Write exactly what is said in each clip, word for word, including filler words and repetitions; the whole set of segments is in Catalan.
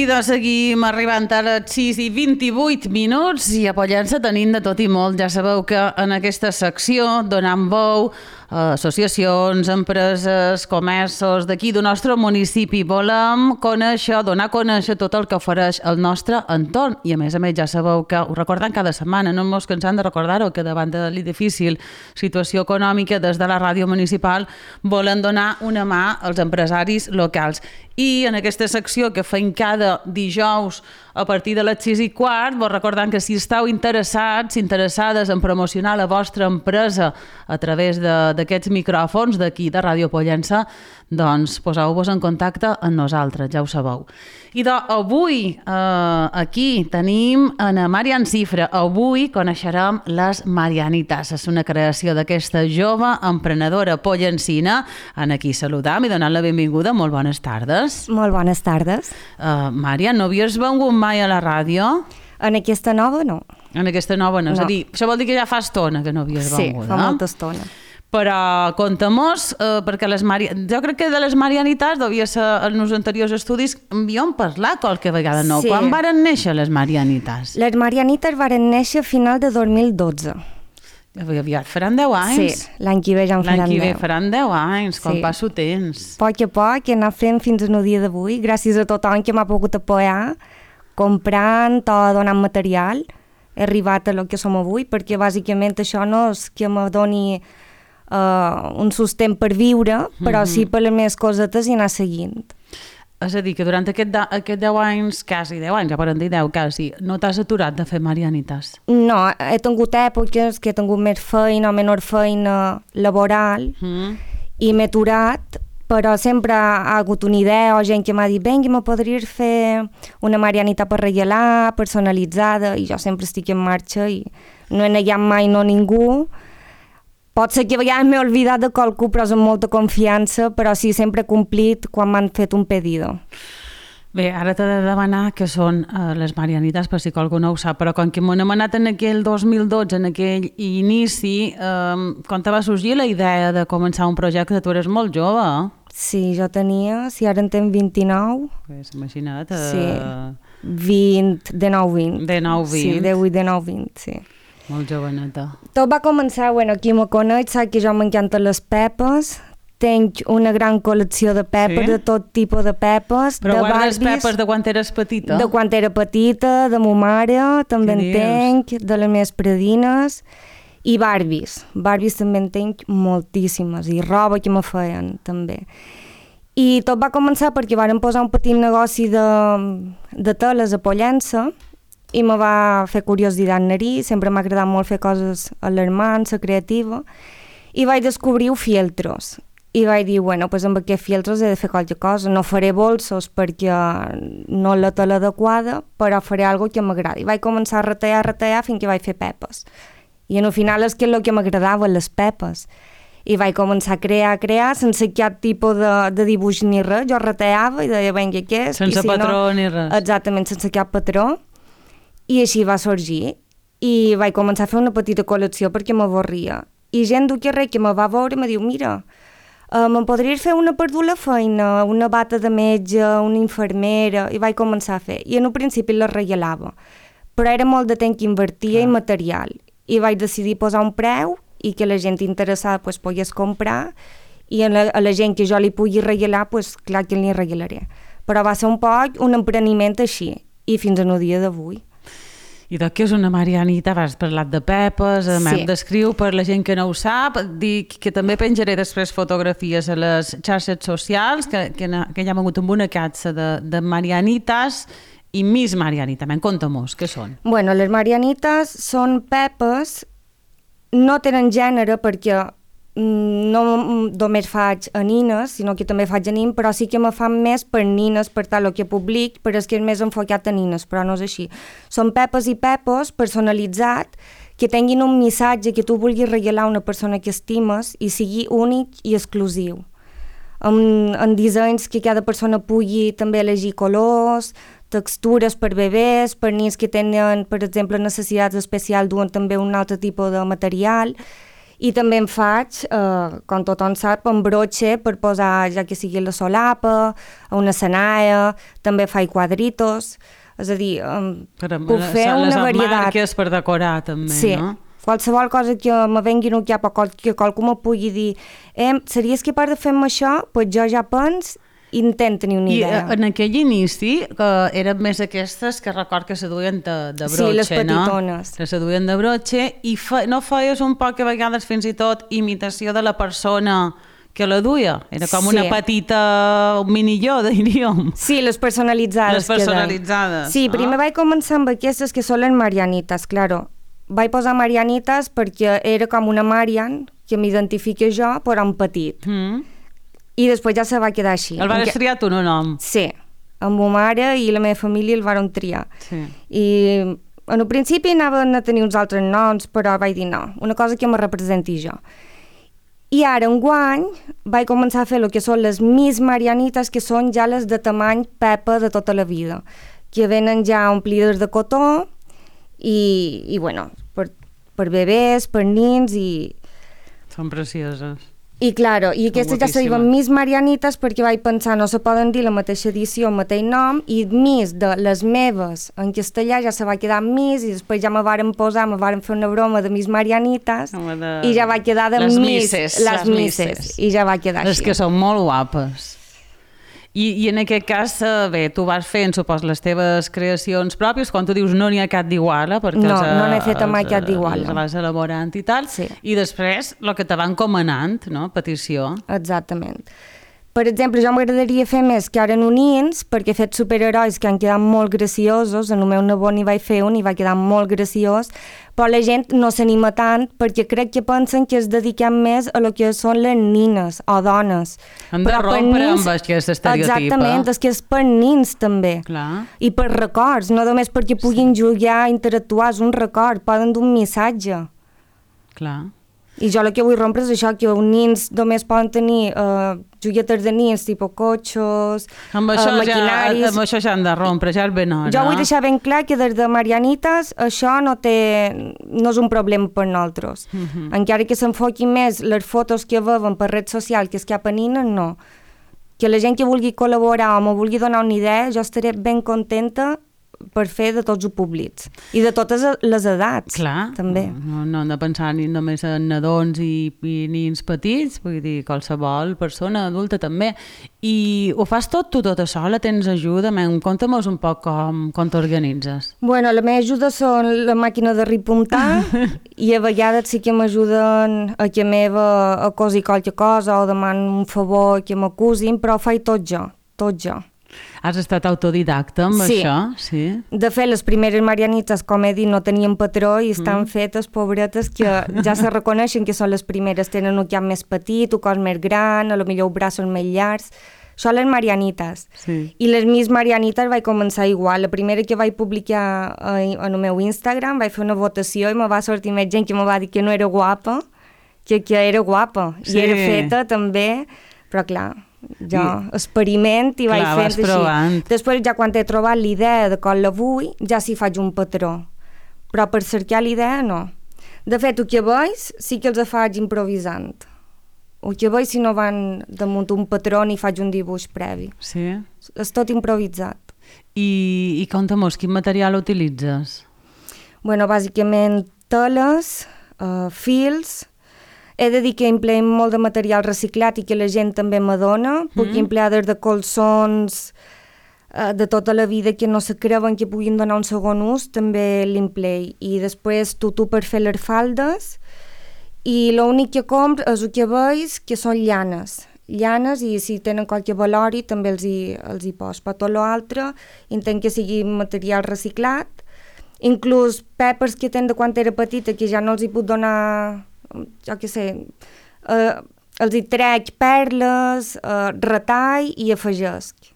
de seguim arribant a les sis i vint-i-vuit minuts i a Pollença tenim de tot i molt. Ja sabeu que en aquesta secció donant veu a associacions, empreses, comerços d'aquí del nostre municipi. Volem conèixer, donar a conèixer tot el que ofereix el nostre entorn. I a més a més ja sabeu que ho recordem cada setmana, no ens cansem de recordar-ho, que davant de la difícil situació econòmica des de la ràdio municipal volen donar una mà als empresaris locals. I en aquesta secció que fem cada dijous a partir de les sis i quart, vos recordem que si esteu interessats, interessades en promocionar la vostra empresa a través d'aquests micròfons d'aquí, de Ràdio Pollença, doncs poseu-vos en contacte amb nosaltres, ja ho sabeu. I doncs avui eh, aquí tenim a Marian Cifra. Avui coneixerem les Marianitas. És una creació d'aquesta jove emprenedora pollencina. En aquí saludam i donant la benvinguda. Molt bones tardes. Molt bones tardes. Uh, Marian, no havies vengut mai a la ràdio? En aquesta nova, no. En aquesta nova no. no. És a dir, això vol dir que ja fa estona que no havies sí, vengut, fa eh? molta estona. Però conta-mos, eh, perquè les Mari... jo crec que de les Marianitas devia ser en els anteriors estudis, havíem parlat qualque vegada, no? Sí. Quan varen néixer les Marianitas? Les Marianitas varen néixer a final de dos mil dotze. Aviat faran deu anys. Sí, l'any que ve ja en faran L'any que ve deu. faran deu anys, com Sí. passa el temps. A poc a poc he anat fent fins al dia d'avui, gràcies a tothom que m'ha pogut apoyar, comprant o donant material. He arribat a lo que som avui, perquè bàsicament això no és que me doni uh, un sostén per viure, però sí per les meves cosetes i anar seguint. És a dir, que durant aquest, de, aquest deu anys, quasi deu anys, ja poden dir deu, quasi, no t'has aturat de fer Marianitas? No, he tingut èpoques que he tingut més feina o menor feina laboral Mm. i m'he aturat, però sempre ha hagut una idea o gent que m'ha dit vinga, me podries fer una Marianita per regalar, personalitzada, i jo sempre estic en marxa i no he negat mai no a ningú. Pot ser que a vegades m'he oblidat de qualcú, però és amb molta confiança, però sí, sempre he complit quan m'han fet un pedido. Bé, ara t'he de demanar què són uh, les Marianitas, per si algú no ho sap, però com que m'ho hem anat en aquell dos mil dotze, en aquell inici, um, quan te va sorgir la idea de començar un projecte, tu eres molt jove, eh? Sí, jo tenia, si ara en tenc vint-i-nou, Pues, imagina't. Uh, sí, vint, de nou vint. De nou vint. Sí, de vuit, de nou vint, sí. Molt joveneta. Tot va començar, bueno, qui me coneix sap que jo m'encanten les pepes, tenc una gran col·lecció de pepes, Sí? de tot tipus de pepes, Però de guardes Barbies, pepes de quan eres petita? de quan era petita, de ma mare, també Què en dius? tenc, de les meves predines, i Barbies. Barbies també en tenc moltíssimes, i roba que me feien, també. I tot va començar perquè varen posar un petit negoci de, de teles a Pollença, i me va fer curiositat anar-hi, sempre m'ha agradat molt fer coses alarmants, creativa, i vaig descobrir fieltros. I vaig dir, bueno, pues amb aquests fieltros he de fer qualque cosa, no faré bolsos perquè no és la tela adequada, però faré alguna que m'agradi. I vaig començar a retallar, a retallar, fins que vaig fer pepes. I al final és que és el que m'agradava, les pepes. I vaig començar a crear, a crear, sense cap tipus de, de dibuix ni res. Jo retallava i deia, vinga, què és? Sense I si patró no, ni res. Exactament, sense cap patró. I així va sorgir. I vaig començar a fer una petita col·lecció perquè m'avorria. I gent d'un carrer que me va veure me diu, mira, uh, me'n podries fer una per dur la feina, una bata de metge, una infermera, i vaig començar a fer. I en un principi la regalava, però era molt de temps que invertia i material. I vaig decidir posar un preu i que la gent interessada pues, pogués comprar, i a la, a la gent que jo li pugui regalar, pues, clar que li regalaré. Però va ser un poc un empreniment així, i fins al dia d'avui. I de què és una Marianita? Has parlat de pepes, sí. M'hem descriu per la gent que no ho sap. Dic que també penjaré després fotografies a les xarxes socials, que, que, que ja hem hagut amb una catxa de, de Marianitas i Miss Marianita. Me'n conta-mos, què són? Bueno, les Marianitas són pepes, no tenen gènere perquè no només faig a nines, sinó que també faig a nin, però sí que me fan més per nines, per tal que public, però és que és més enfocat a nines, però no és així. Són pepes i pepos personalitzat, que tinguin un missatge que tu vulguis regalar a una persona que estimes i sigui únic i exclusiu. Amb, amb dissenys que cada persona pugui també elegir colors, textures per bebès, per nins que tenen, per exemple, necessitats especials, duen també un altre tipus de material, I també en faig, eh, com tothom sap, amb brotxe per posar, ja que sigui la solapa, una sanaia, també faig quadritos, és a dir, um, puc fer les una varietat. Les emmarques per decorar també, sí. no? Qualsevol cosa que me vengui no cap o que qualcú me pugui dir eh, series capaç de fer-me això? Doncs pues jo ja pens i intent tenir una idea. I en aquell inici, que eren més aquestes que record que se duien de, de brotxe, sí, les petitones. No? Que se duien de brotxe, i fe, no feies un poc a vegades fins i tot imitació de la persona que la duia? Era com sí. una petita un minilló, diríem. Sí, les personalitzades. Les personalitzades. Sí, primer ah. vaig començar amb aquestes que són les marianites, claro. Vaig posar marianites perquè era com una Marian, que m'identifica jo, però en petit. Mm. I després ja se va quedar així. El vas que... triar tu, no nom? Sí, amb ma mare i la meva família el van triar. Sí. I en un principi anaven a tenir uns altres noms, però vaig dir no, una cosa que me representi jo. I ara, enguany, vaig començar a fer el que són les Miss Marianites, que són ja les de tamany Pepa de tota la vida, que venen ja omplides de cotó, i, i bueno, per, per bebès, per nins i... Són precioses. I claro, i aquestes ja se diuen Miss Marianites perquè vaig pensar, no se poden dir la mateixa edició, el mateix nom, i Miss de les meves en castellà ja se va quedar Miss, i després ja me varen posar, me varen fer una broma de Miss Marianites, de... i ja va quedar de les Miss, misses, les, les misses, misses, i ja va quedar les així. Les que són molt guapes. I, I en aquest cas, bé, tu vas fent, supos, les teves creacions pròpies, quan tu dius no n'hi ha cap d'iguala, perquè no, els, no n'he fet mai cap d'iguala. Els vas elaborant i tal, sí. I després el que te van comanant, no?, petició. Exactament. Per exemple, jo m'agradaria fer més que ara en unins, perquè he fet superherois que han quedat molt graciosos, en el meu nebot n'hi vaig fer un i va quedar molt graciós, però la gent no s'anima tant perquè crec que pensen que es dediquem més a lo que són les nines o dones. Han de rompre nins, amb aquest estereotip. Exactament, és que és per nins també. Clar. I per records, no només perquè puguin sí. jugar, interactuar, és un record, poden dur un missatge. Clar. I jo el que vull rompre és això, que els nins només poden tenir uh, juguetes de nins, tipus cotxos, amb això uh, maquinaris... Ja, amb això ja han de rompre, ja és ben hora. Jo vull deixar ben clar que des de Marianites això no, té, no és un problema per nosaltres. Uh -huh. Encara que s'enfoqui més les fotos que veuen per red social que és cap a nines, no. Que la gent que vulgui col·laborar o me vulgui donar una idea, jo estaré ben contenta per fer de tots els públics i de totes les edats. Clar, també. No, no hem de pensar ni només en nadons i, i nins petits, vull dir, qualsevol persona adulta també. I ho fas tot tu tota sola? Tens ajuda? Conta'm-nos un poc com, com t'organitzes. Bueno, la meva ajuda són la màquina de repuntar i a vegades sí que m'ajuden a que meva a cosir qualque cosa o demano un favor que m'acusin, però ho faig tot jo, tot jo. Has estat autodidacta amb sí. això? Sí. De fet, les primeres marianites, com he dit, no tenien patró i estan mm. fetes, pobretes, que ja se reconeixen que són les primeres. Tenen un cap més petit, un cos més gran, a lo millor els braços més llargs. Són les marianites. Sí. I les Miss Marianites vaig començar igual. La primera que vaig publicar en el meu Instagram, vaig fer una votació i me va sortir més gent que me va dir que no era guapa, que, que era guapa. Sí. I era feta també, però clar... jo I... experiment i vaig Clar, fent així. Provant. Després, ja quan he trobat l'idea de com la vull, ja s'hi faig un patró. Però per cercar l'idea, no. De fet, el que veig, sí que els faig improvisant. El que veig, si no van damunt un patró ni faig un dibuix previ. Sí? És tot improvisat. I, i conta'm-nos, quin material utilitzes? Bueno, bàsicament teles, uh, fils... He de dir que empleem molt de material reciclat i que la gent també m'adona. Puc mm. emplear des de colsons eh, de tota la vida que no se creuen que puguin donar un segon ús, també l'emplei. I després tutu per fer les faldes. I l'únic que compro és el que veig, que són llanes. Llanes, i si tenen qualque valori també els hi, els hi pos. Per tot l'altre, intent que sigui material reciclat. Inclús pepes que tenen de quan era petita, que ja no els hi puc donar... jo què sé, eh, els hi trec perles, eh, retall i afegesc.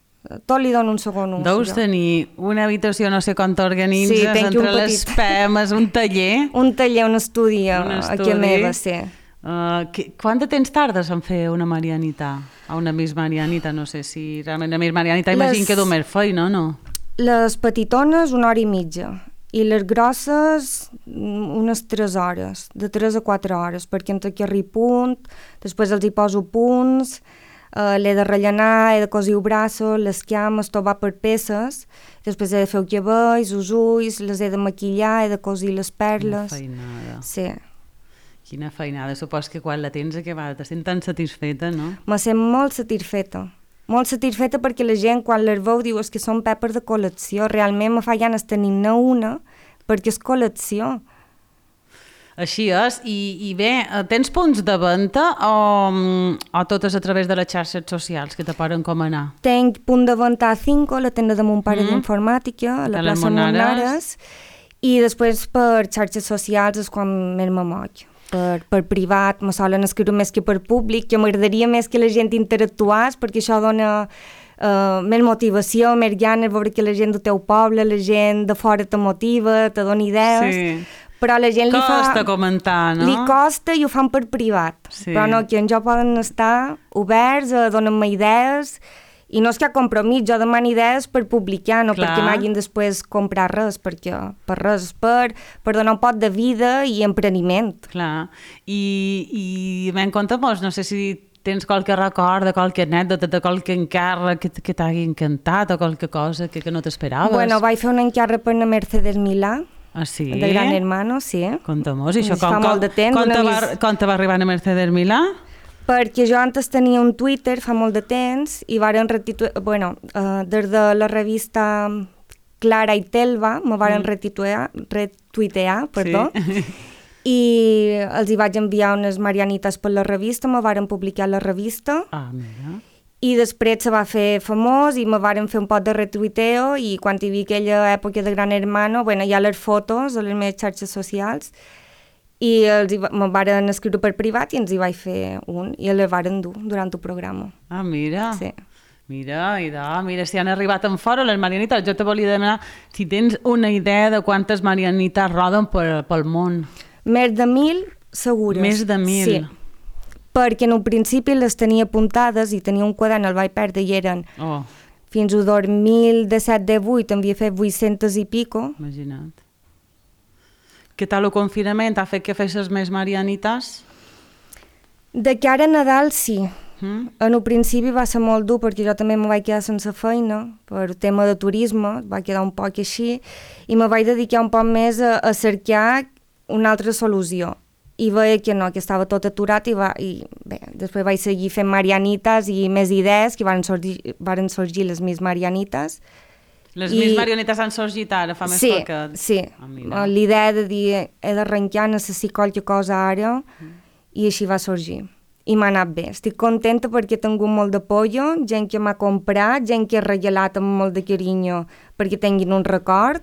Tot li dono un segon ús. Deus jo. tenir una habitació, no sé com t'organitzes, sí, entre les pemes, un taller. Un taller, un estudi, un estudi. Aquí a meva, sí. Uh, que, quant de temps tardes en fer una marianita? O una Miss Marianita, no sé si realment una Miss Marianita, les... imagino que du més feina, no? Les petitones, una hora i mitja. i les grosses unes tres hores, de tres a quatre hores, perquè entre que arribi punt, després els hi poso punts, uh, l'he de rellenar, he de cosir els braços, les cames, tot va per peces, després he de fer els cabells, els ulls, les he de maquillar, he de cosir les perles. Quina feinada. Sí. Quina feinada. Supos que quan la tens acabada te sents tan satisfeta, no? Me sent molt satisfeta. Molt satisfeta perquè la gent quan les veu diu que són pepes de col·lecció. Realment me fa ganes tenir-ne una perquè és col·lecció. Així és. I, i bé, tens punts de venda o, o totes a través de les xarxes socials que te poden encomanar? Tenc punt de venda a Cinco, la tenda de mon pare mm. d'informàtica, a la de plaça Monares, i després per xarxes socials és quan més me moig. Per, per privat, me solen escriure més que per públic, que m'agradaria més que la gent interactués, perquè això dona uh, més motivació, més ganes, veure que la gent del teu poble, la gent de fora te motiva, te dona idees, sí. Però la gent costa li fa... Costa comentar, no? Li costa i ho fan per privat, sí. Però no, que en jo poden estar oberts, a donar-me idees, i no és que hi ha compromís, jo demano idees per publicar, no Clar. Perquè m'hagin després comprar res, perquè per res, per, per donar un pot de vida i empreniment. Clar, i, i m'en compte molts, no sé si tens qualque record de qualque anècdota, de qualque encàrrec que, que t'hagi encantat o qualque cosa que, que no t'esperaves. Bueno, vaig fer un encàrrec per la Mercedes Milà, ah, sí? de Gran Hermano, sí. Conta-mos, i això com, com, fa molt de temps. Com te va, mis... com te va arribar a Mercedes Milà? Perquè jo antes tenia un Twitter fa molt de temps i varen retituar, bueno, uh, des de la revista Clara i Telva me varen mm. retuitear, retuitear, perdó, sí. I els hi vaig enviar unes marianites per la revista, me varen publicar la revista. Ah, mira. I després se va fer famós i me varen fer un pot de retuiteo i quan hi havia aquella època de Gran Hermano, bueno, hi ha les fotos a les meves xarxes socials i els hi, me varen escriure per privat i ens hi vaig fer un i les varen dur durant el programa. Ah, mira. Sí. Mira, i de, mira, si han arribat en fora les marianites. Jo te volia demanar si tens una idea de quantes marianites roden per, pel món. Més de mil, segures. Més de mil. Sí. Perquè en un principi les tenia apuntades i tenia un quadern, el vaig perdre i eren oh. fins al dos mil disset divuit, havia fet vuit-centes i pico. Imagina't. Què tal el confinament? Ha fet que fessis més marianites? De cara a Nadal, sí. Mm? En un principi va ser molt dur perquè jo també me vaig quedar sense feina per tema de turisme, va quedar un poc així, i me vaig dedicar un poc més a, a cercar una altra solució. I veia que no, que estava tot aturat i, va, i bé, després vaig seguir fent marianites i més idees, que van sorgir, van sorgir les més marianites. Les I... més marionetes han sorgit ara, fa més sí, poquet. Sí, ah, l'idea de dir he d'arrencar, necessito qualque cosa ara, mm. i així va sorgir. I m'ha anat bé. Estic contenta perquè he tingut molt d'apoyo, gent que m'ha comprat, gent que ha regalat amb molt de carinyo perquè tinguin un record,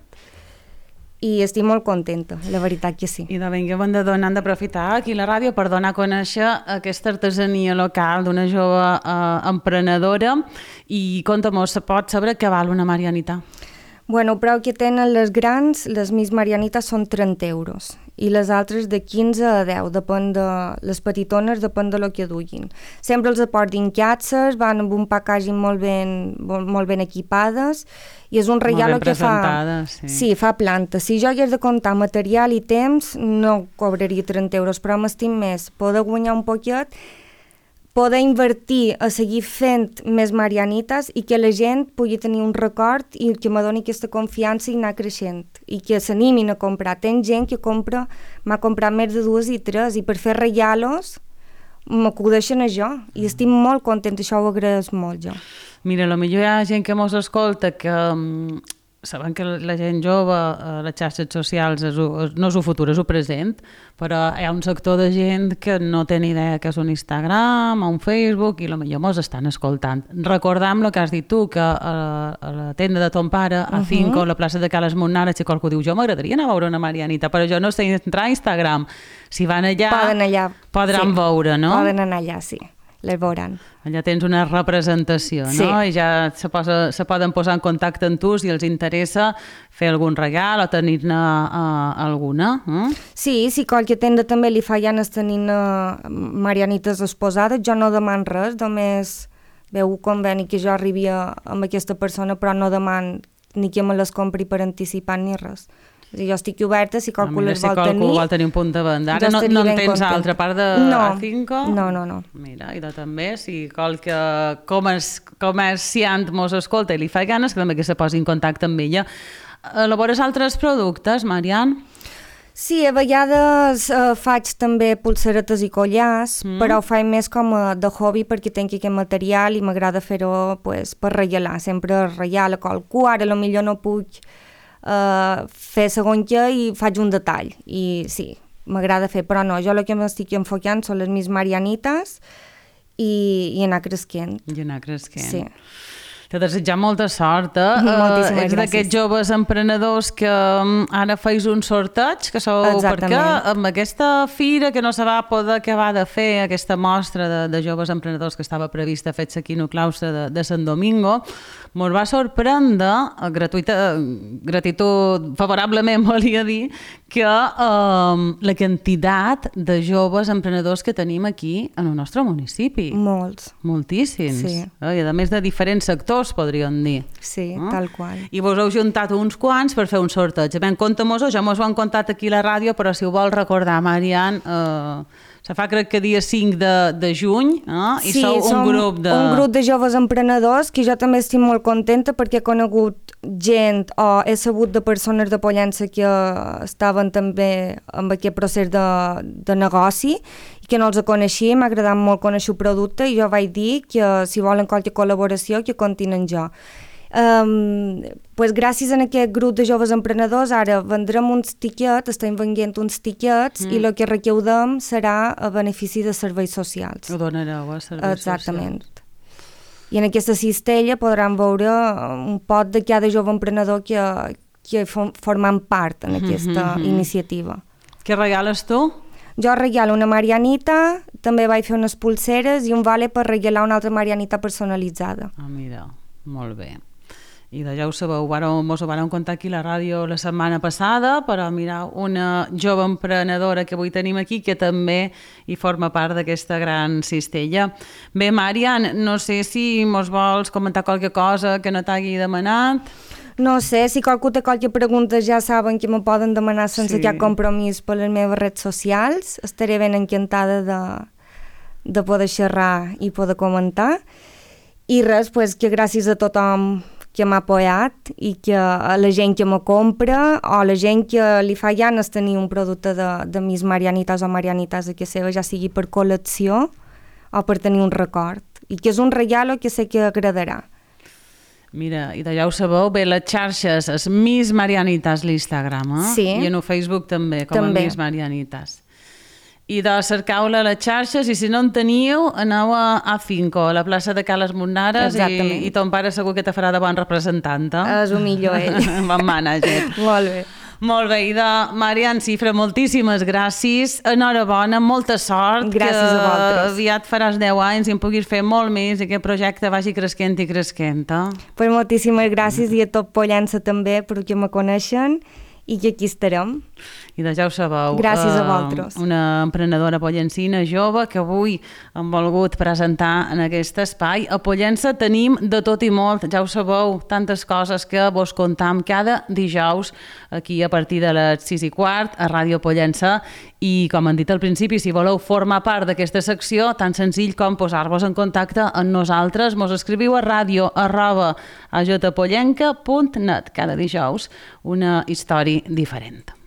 i estic molt contenta, la veritat que sí. I de ben que hem de donar, hem d'aprofitar aquí la ràdio per donar a conèixer aquesta artesania local d'una jove eh, emprenedora i conta'm, se pot saber què val una marianita? Bueno, el preu que tenen les grans, les més marianites són trenta euros i les altres de quinze a deu, depèn de les petitones, depèn de lo que duguin. Sempre els aportin catxes, van amb un packaging molt ben, molt ben equipades i és un regalo que fa... Sí. sí, fa planta. Si jo hagués de comptar material i temps, no cobraria trenta euros, però m'estim més poder guanyar un poquet, poder invertir a seguir fent més marianites i que la gent pugui tenir un record i que me doni aquesta confiança i anar creixent i que s'animin a comprar. Tenc gent que compra, m'ha comprat més de dues i tres i per fer regalos m'acudeixen a jo i estic molt contenta, això ho agraeix molt jo. Mira, potser hi ha gent que mos escolta que um, saben que la gent jove a les xarxes socials és, no és el futur, és el present, però hi ha un sector de gent que no té ni idea que és un Instagram o un Facebook i potser mos estan escoltant. Recordam el que has dit tu, que a, a la tenda de ton pare, a Cinco, uh -huh. a la plaça de Cales Monares, si qualcú diu jo m'agradaria anar a veure una marianita, però jo no sé entrar a Instagram. Si van allà, poden allà podran sí. veure, no? Poden anar allà, sí. Les veuran. Allà tens una representació, no? Sí. I ja se, posa, se poden posar en contacte amb tu si els interessa fer algun regal o tenir-ne uh, alguna. Eh? Sí, si qualque tenda també li fa ganes tenir uh, marianites exposades, jo no deman res, només veu un conveni que jo arribi a, amb aquesta persona, però no deman ni que me les compri per anticipat ni res. Jo estic oberta, si qualcú les vol tenir. Si qualcú vol tenir un punt de venda. Ara no, no en tens altra part de no. Cinco? No, no, no. Mira, i de també, si qualque comerciant mos escolta i li fa ganes, que també que se posi en contacte amb ella. Elabores altres productes, Marian? Sí, a vegades eh, faig també pulseretes i collars, mm. però ho faig més com a de hobby perquè tinc aquest material i m'agrada fer-ho pues, per reialar, sempre reial a qualcú, ara potser no puc eh, fer segons què i faig un detall, i sí, m'agrada fer, però no, jo el que m'estic enfocant són les meves marianites i, i anar creixent. I anar creixent. Sí. Te desitjar molta sort, eh? Moltíssimes uh, ets d'aquests joves emprenedors que um, ara feis un sorteig, que sou... Exactament. Perquè amb aquesta fira que no se va poder acabar de fer, aquesta mostra de, de joves emprenedors que estava prevista fer-se aquí en el claustre de, de Sant Domingo, mos va sorprendre, gratuïta, gratitud favorablement volia dir, que um, la quantitat de joves emprenedors que tenim aquí en el nostre municipi. Molts. Moltíssims. Sí. Eh? I a més de diferents sectors, podríem dir. Sí, eh? tal qual. I vos heu juntat uns quants per fer un sorteig. Ben, compta-mos-ho, ja mos ho han contat aquí a la ràdio, però si ho vol recordar, Marian, eh, se fa crec que dia cinc de, de juny, eh? I sí, sou un grup de... un grup de joves emprenedors que jo també estic molt contenta perquè he conegut gent o he sabut de persones de Pollença que estaven també amb aquest procés de, de negoci i que no els coneixia, m'ha agradat molt conèixer el producte i jo vaig dir que si volen qualque col·laboració que comptin amb jo. Um, pues gràcies a aquest grup de joves emprenedors ara vendrem uns tiquets, estem venent uns tiquets mm. i el que recaudem serà a benefici de serveis socials. Ho donareu a serveis Exactament. socials. I en aquesta cistella podran veure un pot de cada jove emprenedor que, que formant part en aquesta mm-hmm. iniciativa. Què regales tu? Jo regalo una marianita, també vaig fer unes pulseres i un vale per regalar una altra marianita personalitzada. Ah, mira, molt bé. I de ja ho sabeu, vareu, mos ho vàrem contar aquí a la ràdio la setmana passada, però mira, una jove emprenedora que avui tenim aquí que també hi forma part d'aquesta gran cistella. Bé, Marian, no sé si mos vols comentar qualque cosa que no t'hagi demanat. No sé, si qualcú té qualque pregunta ja saben que me poden demanar sense sí. cap compromís per les meves redes socials. Estaré ben encantada de, de poder xerrar i poder comentar. I res, pues, que gràcies a tothom que m'ha apoyat i que a la gent que me compra o a la gent que li fa ganes tenir un producte de, de mis marianites o marianites a que seva, ja sigui per col·lecció o per tenir un record. I que és un regalo que sé que agradarà. Mira, i de ja ho sabeu, bé, les xarxes, és Mis Marianites l'Instagram, eh? Sí. I en el Facebook també, com també. a Mis Marianites. I de cercau-la a les xarxes, i si no en teniu, aneu a, a Cinco, a la plaça de Cales Monnares, i, i ton pare segur que te farà de bon representant. Eh? És un millor ell. Bon mànager. Molt bé. Molt bé, i de Marian Cifra, moltíssimes gràcies, enhorabona, molta sort. Gràcies a vosaltres. Que aviat faràs deu anys i en puguis fer molt més i aquest projecte vagi creixent i creixent. Eh? Pues moltíssimes gràcies i a tot Pollença també, perquè me coneixen i que aquí estarem. I de ja ho sabeu. Gràcies a vosaltres. Uh, una emprenedora pollencina jove que avui hem volgut presentar en aquest espai. A Pollença tenim de tot i molt, ja ho sabeu, tantes coses que vos contam cada dijous aquí a partir de les sis i quart a Ràdio Pollença. I com han dit al principi, si voleu formar part d'aquesta secció, tan senzill com posar-vos en contacte amb nosaltres, mos escriviu a ràdio arroba a jpollenca punt net cada dijous una història diferent.